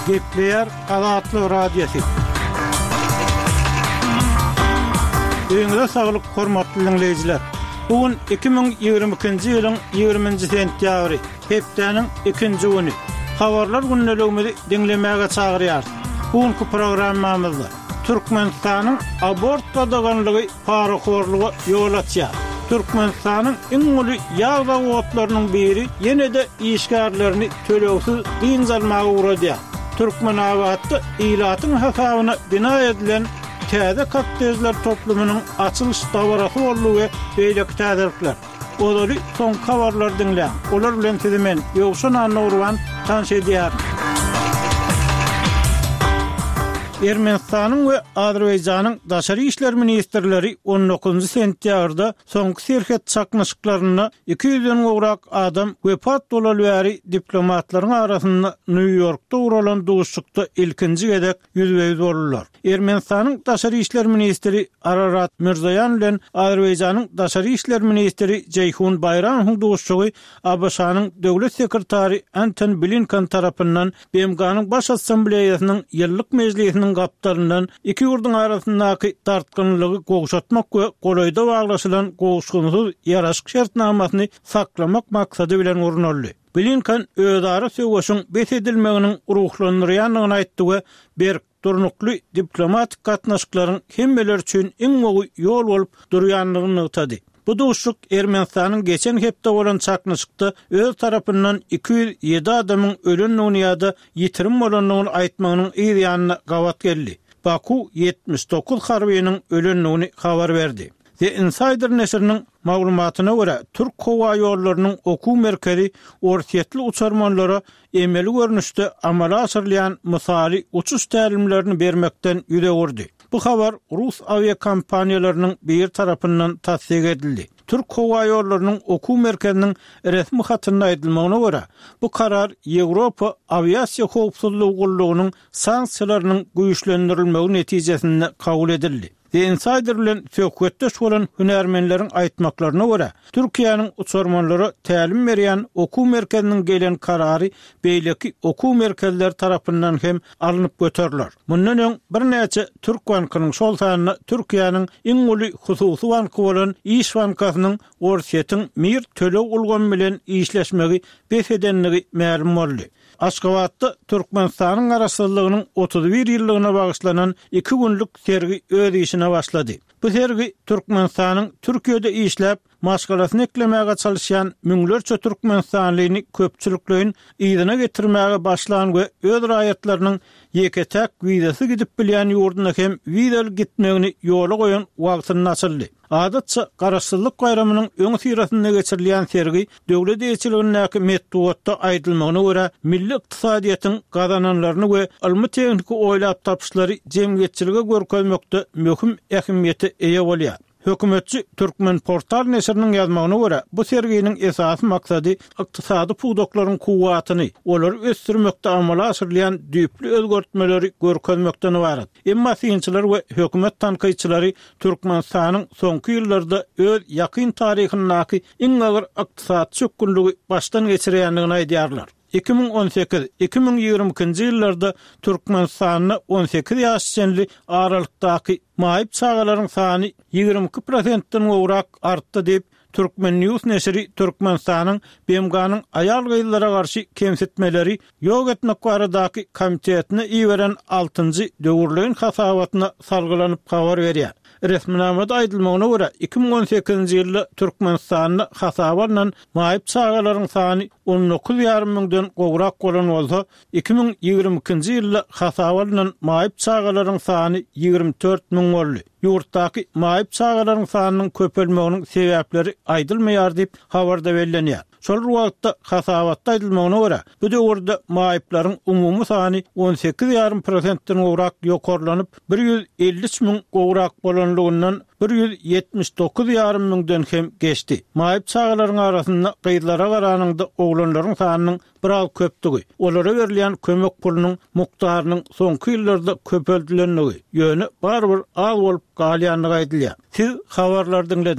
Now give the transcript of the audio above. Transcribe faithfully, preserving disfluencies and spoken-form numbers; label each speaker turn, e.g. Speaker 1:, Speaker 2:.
Speaker 1: Gepleýär Azatlyk Radiosy. Öýüňize saglyk, hormatly diňleýjiler! Bu gün iki müň ýigrimi ikinji ýylyň ýigriminji sentýabry, hepdäniň ikinji güni. Habarlar gündeligimizi diňlemäge çagyrýarys. Bu günki programmamyzda Türkmenistanyň abort gadaganlygy parahorluga ýol açýar. Türkmenistanyň iň uly ýag zawodlarynyň biri ýene-de işgärlerini tölegsiz dynç almaga ugradýar. Türkmenabatda ilatyň hasabyna bina edilen täze kottejler toplumynyň açylyş dabarasy boldy we beýleki täzelikler. Ozaly soňky habarlary diňläň. Olar bilen sizi men, Ýowşan Annagurban, tanyş edýärin. Ermenistanyň we Azerbaýjanyň daşary işler ministrleri on dokuzynjy sentýabrda soňky serhet çaknyşyklarynda iki ýüzden gowrak adam wepat bolaly bäri diplomatlaryň arasynda Nýu-Ýorkda guralan duşuşykda ilkinji gezek ýüzbe-ýüz boldular. Ermenistanyň daşary işler ministri Ararat Mirzoýan bilen Azerbaýjanyň daşary işler ministri Jeýhun Baýramowyň duşuşygy ABŞ-nyň döwlet sekretary Anton Blinken tarapyndan B M G-nyň Baş Assambleýasynyň ýyllyk mejlisiniň gapdalyndan iki ýurduň arasyndaky dartgynlygy gowşatmak we golaýda baglaşylan gowuşgynsyz ýaraşyk şertnamasyny saklamak maksady bilen gurnaldy. Blinken özara söweşiň bes edilmeginiň ruhlandyrýandygyny aýtdy we berk durnukly diplomatik gatnaşyklaryň hemmeler üçin iň gowy ýol bolup durýandygyny nygtady. Bu duşuşyk Ermenistanyň geçen hepde bolan çaknyşykda öz tarapyndan iki ýüz ýedi adamyň ölendigini ýa-da ýitirim bolandygyny aýtmagynyň yz ýanyna gabat geldi. Baku ýetmiş dokuz harbynyň ölendigini habar berdi. The Insider neşiriniň maglumatyna görä, Türk howa ýollarynyň okuw merkezi orsýetli uçarmanlara emeli görnüşde amala aşyrylýan mysaly uçuş tälimlerini bermekden ýüz öwürdi. Bu habar rus awiakompaniýalarynyň biri tarapyndan tassyk edildi. Türk howa ýollarynyň okuw merkeziniň resmi hatynda aýdylmagyna görä, bu karar Ýewropa awiasiýa howpsuzlygy gullugynyň sanksiýalarynyň güýçlendirilmegi netijesinde kabul edildi. The Insider bilen söhbetdeş bolan hünärmenleriň aýtmaklaryna görä, Türkiýäniň uçarmanlara tälim berýän okuw merkeziniň gelen karary beýleki okuw merkezleri tarapyndan hem alnyp göteriler. Mundan öň birnäçe Türk bankynyň, şol sanda Türkiýäniň iň uly hususy banky bolan Iş bankasynyň Orsýetiň Mir töleg ulgamy bilen işleşmegi bes edendigi mälim boldy. Aşgabatda Türkmenistanyň Garaşsyzlygynyň otuz bir ýyllygyna bagyşlanan iki günlük sergi öz işine başlady. Bu sergi Türkmenistanyň Türkiýede işläp, maşgalasyny eklemäge çalyşýan müňlerçe türkmenistanlyny köpçülikleýin yzyna getirmäge başlan we öz raýatlarynyň ýeke-täk wizasy gidip bilýän ýurduna hem wizaly gitmegini ýola goýan wagtynda açyldy. Adatça Garaşsyzlyk baýramynyň öň syrasynda geçirilýän sergi döwlet eýeçiligindäki metbugatda aýdylmagyna görä milli ykdysadyýetiň gazananlaryny we ylmy-tehniki oýlap tapyşlary jemgyýetçilige görkezmekde möhüm ähmiýete eýe bolýar. Hökümetçi Türkmen portal neşiriniň ýazmagyna görä, bu serginiň esasy maksady ykdysady pudaklaryň kuwwatyny, olary ösdürmekde amala aşyrylýan düýpli özgertmeleri görkezmekden ybarat. Emma synçylar we hökümet tankytçylary Türkmenistanyň soňky ýyllarda öz ýakyn taryhyndaky iň agyr ykdysady çökgünligi başdan geçirýändigini aýdýarlar. Iki müň on sekiz, iki müň ýigrimi ikinji ýyllarda Türkmenistanda on sekiz ýaş çenli aralykdaky maýyp çagalaryň sany ýigrimi iki prosentden gowrak artdy diýip, Türkmen News neşiri Türkmenistanyň B M G-nyň aýal-gyzlara garşy kemsitmeleri ýok etmek baradaky komitetine iberen altynjy döwürleýin hasabatyna salgylanyp habar berýär. Resminamada aýdylmagyna görä, iki müň on sekizinji ýylda Türkmenistanda hasaba alnan maýyp çagalaryň sany on dokuz ýarym müňden gowrak bolan bolsa, iki müň ýigrimi ikinji ýylda hasaba alnan maýyp çagalaryň sany ýigrimi dört müň boldy. Ýurtdaky maýyp çagalaryň sanynyň köpelmeginiň sebäpleri aýdylmaýar diýip habarda bellenýär. Şol bir wagtda hasabatda aýdylmagyna görä, bu döwürde maýyplaryň umumy sany on sekiz ýarym prosentden gowrak ýokarlanyp, bir ýüz elli üç müň gowrak bolanlygyndan bir ýüz ýetmiş dokuz ýarym müňden hem geçdi. Maýyp çagalaryň arasynda gyzlara garanyňda oglanlaryň sanynyň biraz köpdügi, olara berilýän kömek pulunyň mukdarynyň soňky ýyllarda köpeldilendigi, ýöne barybir az bolup galýandygy aýdylýar. Siz habarlary diňlediňiz.